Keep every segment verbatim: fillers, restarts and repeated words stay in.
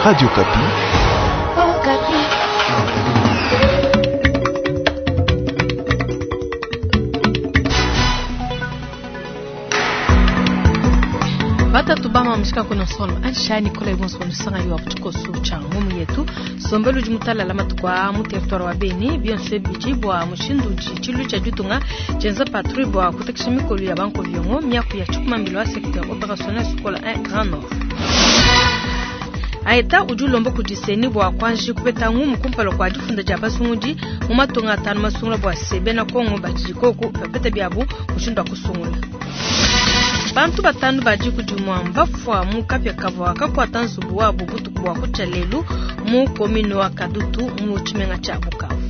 Radio Okapi. Batatu bama mishika kono sono ansha Nicolas Ibonso kono sanga yo kutukosu cha ngumu yetu sombelu jimutala la matukwa mu territoire wa Beni bien sûr bichi bwa mushindu chilu cha jutunga chenza patrouille bwa kutekisha mikolo ya banko viongo miaku ya chukuma mbilo wa secteur opérationnel Sokola un Grand Nord. Aeta ujulombo kudiseni bwa kwanji kupeta ngumu kumpalo kwa jifunda ja basungudi mu matonga atano masungula bwa sebe na Kongo bajikoko pepeta byabu mushindu akusungula. Bantu batanu baji kujumwa mbafwa mu kapya kavwa kakwata nzubu wabo butuku bwa kucha lelu mu komine wa Kadutu mu chimenga cha Bukavu.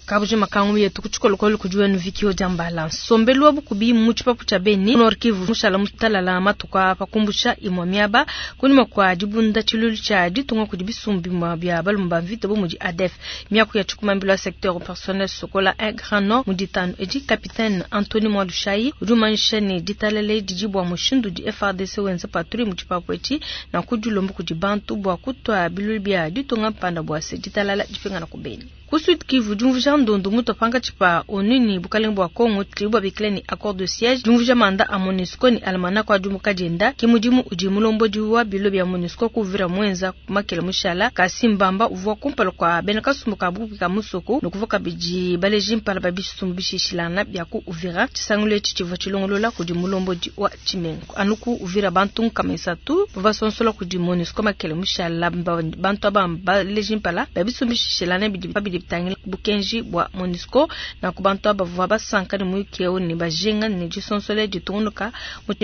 Kabuje makangu yetu kuchikolokolo kujua nuvikio jambala sombelu wabukubi mu chipapu cha Beni Nord Kivu mushala mutalala matuka pakumbusha imwa miaba kunima kwa dibunda chilulu cha ditunga kudi bisumbi mwa bya balumba mvita bo mudi A D F miaku ya chukumambilo secteur personnel Sokola un Grand Nord muditano edi capitaine Anthony Mwalushai ujumanisha ni ditalele dijibwa mushindu di F R D C wenza patrouille mu chipapu echi na kujulombo kudi bantu bwa kutwa bilulu bya ditunga mpanda bwa se ditalala dipingana ku Beni. Kusud Kivu jumvuja ndondo muto panga chipa onini bukalengo bwa Kongo tribu bikleni accord de siège jumvuja manda a MONUSCO ni almana kwa jumuka jenda kimudimu uji mulombo diwa bilo bya MONUSCO kuvira mwenza makele mushala kasimbamba uvwa kumpalo kwa bena kasumbu kabupi ka musoko nokuvuka biji baleji mpala babisumbu bishishilana bya ku uvira chisangule chichiva chilongolola kudi mulombo diwa chimengo anuku uvira bantu nkamesatu bavasonsola kudi MONUSCO makele mushala bantu aba baleji mpala babisumbu bishishilana bidi bidi tangila bukenji bwa MONUSCO na kubantu abavwa basanka ni muyikeo ni bajenga ni disonsole ditungunuka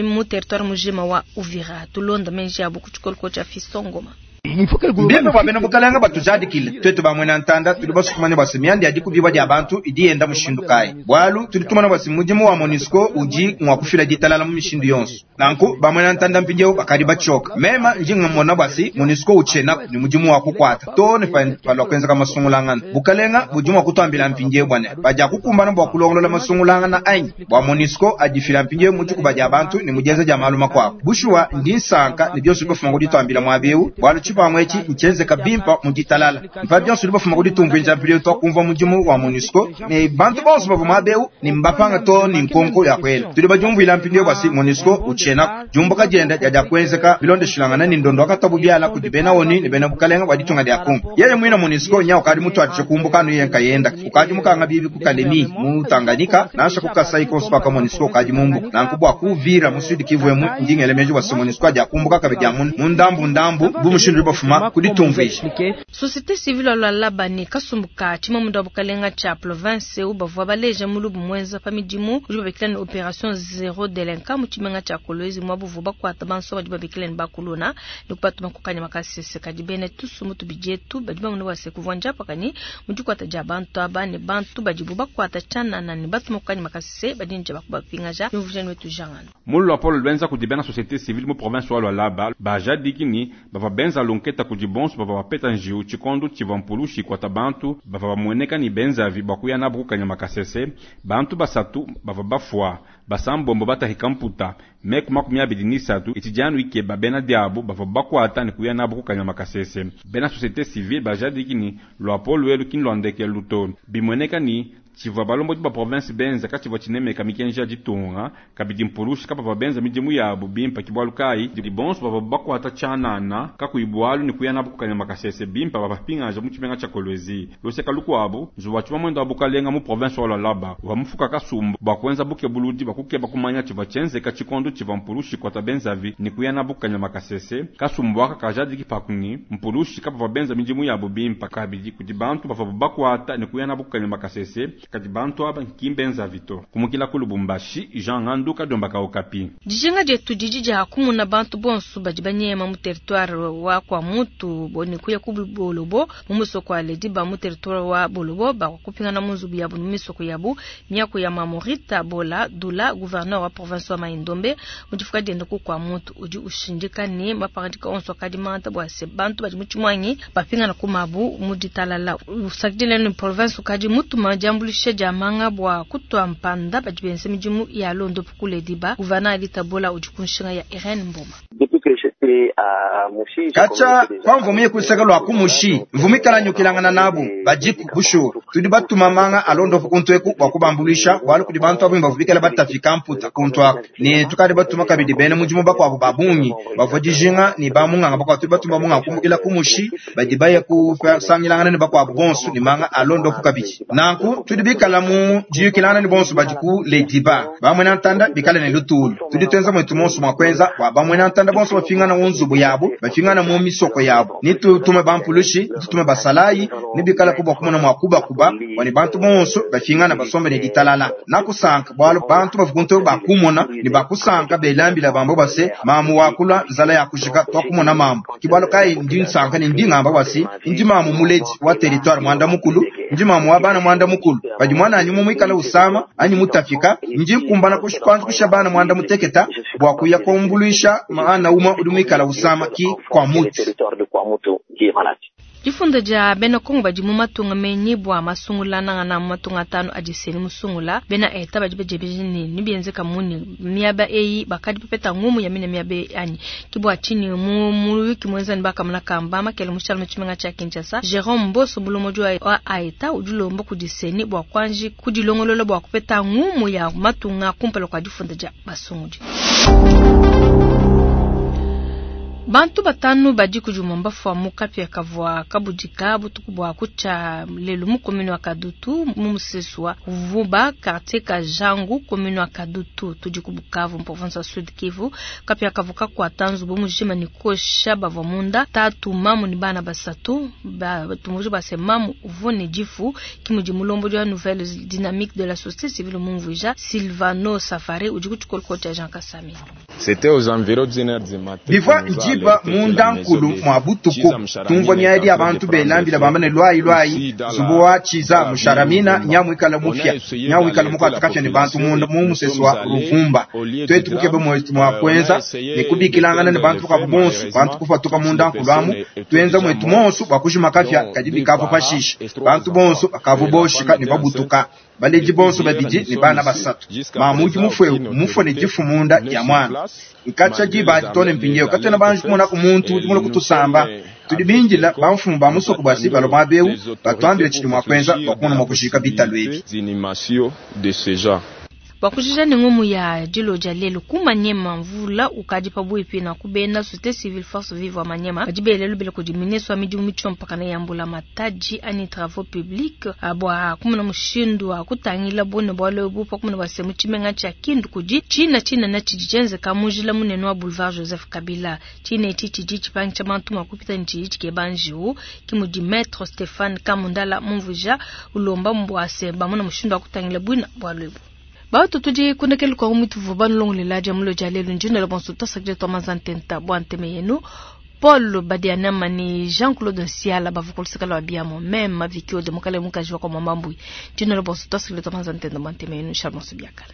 mu territoire mujima wa Uvira tulonda menji abo kuchikoloko cha Fisongoma. Mbembe bwa bena bukalanga batujadikile twetu bamwe ntanda tuli basukumanya basi myandi adi kubiba dia bantu idi yenda mushindu kai bwalu tuli tumana basi mudimu wa MONUSCO uji mwa kufila ditalala mu mishindu yonso nanku bamwe ntanda mpinjeo bakadi bachoka mema njinga mona basi MONUSCO uchena ni mudimu wa kukwata to ne palwa kwenza kama sungulangana bukalenga budimu wa kutambila mpinjeo bwana baja kukumbana bwa kulongolola masungulangana ainyi bwa MONUSCO adifila mpinjeo mujuku baja bantu ni mujeza ja maluma kwako bushuwa ndi nsanka ni byonso bifuma kuditambila mwabeu bwalu chipamwe chi nchenze kabimpa mujitalala mpa byonso libafuma kuditumvwinja mpilio twakumva mudimu wa MONUSCO ne bantu bonso bava mwabeu ni mbapanga to ni nkonko ya kwela tuli bajumvwila mpindio bwasi MONUSCO uchena jumbuka jenda jaja kwenzeka bilondeshilangana ni ndondo akatabu byala kudi bena oni ni bena bukalenga bwa ditunga lya Kongo yeye mwina MONUSCO nya ukadi mutu atishe kumbuka no yenka yenda ukadi mukanga bibi kukalemi mu Tanganyika nasha kukasai konso paka MONUSCO ukadi mumbu nankubwa kuvira mu Sud Kivu emu ndingele mejo bwasi MONUSCO aja kumbuka kabedya mu ndambu ndambu bumushindu bafuma kuditumvisha. Société civile la Labani kasumbuka chimamunda bukalenga cha province ubavwa baleje mulubu mwenza pamidimu ujiba bekilani opération zéro délinquant mu chimenga cha Kolwezi mwabuvu bakwata banso bajiba bekilani bakuluna nikupatuma kukanya makasese kadibene tusumu tubijetu bajiba muno wase kuvwanja pakani mujikwata ja bantu abane bantu bajibu bakwata chana na ni batuma kukanya makasese badinja bakubapinga ja mvujani wetu jangano Mulwa Paul Lwenza kudibena société civile mu province wa Lualaba bajadikini bava benza lonketa kudi bonso bava bapeta njiu chikondo chivampulushi kwata bantu bava bamweneka ni benzavi bakuya nabo kukanya makasese bantu basatu bava bafwa basambombo batahika mputa meku makumi abili nisatu itijanu ikeba bena diabo bava bakwata ni kuya nabo kukanya makasese bena société civile bajadikini lwapo lwelu kini lwandeke luto bimweneka ni chivwa balombo ba province benza kachivwa chinemeka mikenja ditunga kabidi mpulushi kapa ba benza midimu yabo bimpa kibwalu kai di bonso bava bakwata chanana kakuibwalu ni kuya nabo kukanya makasese bimpa bapingaja mu chimenga cha Kolwezi loseka lukwabo nzuwa chuma mwendo abukalenga mu province wa Lualaba wa mufuka kasumbu bakwenza buke buludi bakukeba kumanya chivwa chenzeka chikondo chivwa mpulushi kwata benzavi ni kuya nabo kukanya makasese kasumbu aka kajadi kipakuni mpulushi kapa ba benza midimu yabo bimpa kabidi kudi bantu bava bakwata ni kuya nabo kukanya makasese kati bantu aba nkimbenza vito kumukila ku Lubumbashi Jean Ngandu Kadomba ka Okapi. Dijinga jetu dijija kumuna bantu bonso badi banyema mu territoire wa kwa mutu boni kuya ku Bolobo mu musoko wa Ledi ba mu territoire wa Bolobo ba kupingana mu nzubu yabu mu misoko yabu miaku ya Mamorita Bola Dula gouverneur wa province wa Maindombe mu difuka dienda ku kwa mutu udi ushindika ne maparadika onso kadi manta bwa se bantu badi mu tshimwanyi bapingana ku mabu mu ditalala usakidile ni province ukadi mutuma jambulisha Diambuluisha dia manga bua kutua mpanda badi benza midimu ya londopu kule diba. Gouverneur Alita Bola udi ku nshinga ya Irene Mboma. Kacha kwa mvumu yekuseka lwa kumushi mvumu ikala nyukilangana nabu badiku bushuwa tudi batuma manga alondopu kuntu eku bua kubambuluisha bualu kudi bantu abungi bavua bikala batafika mputa kuntu aku ne tukadi batuma kabidi bena mudimu bakuabu ba bungi bavua dijinga ne bamunganga bakuabu tudi batuma munganga kumbukila kumushi badi baya kusangilangana ne bakuabu bonso ne manga alondopu kabidi nanku tudi bikala mu diyukilangana ne bonso badi ku lediba bamwena ntanda bikala ne lutulu tudi tuenza mwetu monso mua kuenza bua bamwena ntanda bonso bafingana mu nzubu yabo bafingana mu misoko yabo ni tutume bampulushi tutume basalayi ni bikala kubwa kumona mua kubakuba bua bantu bonso bafingana basombe ne ditalala nakusanka bualu bantu bavukuntu bakumona ne bakusanka belambila bambo base mamu wakula nzala ya kushika twakumona mambo kibwalo kai ndi nsanka ne ndi ngamba basi ndi mamu muledi wa territoire mwanda mukulu ndi mamu wa bana mwanda mukulu badi mwana anyi mumwikala usama anyi mutafika ndi nkumbana kushipanzu kusha bana mwanda muteketa bua kuya kumbuluisha maana uma udi mwikala usama ki kwa mutu. Difunda dia bena Kongo badi mu matunga menyi bua masungula nangana mu matunga atanu adi seni musungula bena eta badi bajebeje ne nibienzeka muni miaba eyi bakadi pepeta ngumu ya mine miaba eyi anyi kibwa chini mu muyuki mwenza ni bakamuna kamba makele mushala muchimenga cha Kinshasa Jerome Mboso bulomoji wa aeta udilomba kudiseni bua kwanji kudilongolola bua kupeta ngumu ya matunga kumpala kwa difunda dia basungudi. Bantu batanu badi kujumamba fwa mukapya kavwa kabudika butuku bwa kucha lelu mu commune wa Kadutu mu musesu wa Vuba quartier ka Jangu commune wa Kadutu tudi ku Bukavu mu province ya Sud Kivu. Kapya kavuka kwa tanzu bo mujima ni kosha bavwa munda tatu mamu ni bana basatu ba tumuju base mamu uvone jifu kimudi mulombo wa nouvelle dynamique de la société civile mumvuja Silvano Safari udi kuchikolo cha Jean Kasami. C'était aux environs d'une heure du matin. Bivwa njiba munda nkulu mwa butuku tumvwa miaidi abantu belambila bamba ne lwayi lwayi zubu wa chiza musharamina nyamwikala mufya nyamwikala mukatukafya ne bantu munda mu musesu wa ruvumba twetu kukebe mwetu mwa kwenza ne kubikilangana ne bantu kabu bonso bantu kufatuka munda nkulu amu twenza mwetu monso bakushima kafya kadi bikavu pashisha bantu bonso bakavu boshika ne babutuka baleji bonso babidi ne bana basatu mamuji mufwe mufwe ne jifu munda ya mwana nkacha jiba tone mpindio katena banju kumona ku muntu udi kutusamba tudi binjila bamfumu ba musoko basi baloma beu batwambile chidi mwakwenza bakumona mwakushika bitalu ebi. Bakujija ni ngumu ya dilo ja lelo kumanyema mvula ukadi pabuipi na kubena société civile force vive wa manyema badi lubele kudi ministre wa midimu michompaka na yambula mataji ani travaux publics abwa kumuna mushindu wa kutangila bone bwalo bupa kumuna basemu chimenga cha Kindu kudi china china na chijijenze kamujila munene wa boulevard Joseph Kabila chine chichi chichi pancha bantu makupita nchi chike banjiu kimudi maître Stéphane Kamundala mumvuja ulomba mbwase bamuna mushindu wa kutangila bwina bwalo. Bato tudi kundekele kwa umitu vuba nulongolela dia mulo dia lelu njino la bonso tasakile twa mazantenta bwa nteme yenu Paul Badianama ni Jean-Claude Nsiala bavukulisikala wa biamo meme vikio de mukale mukaji wa kwa mambambui njino la bonso tasakile twa mazantenta bwa nteme yenu Charles Biakala.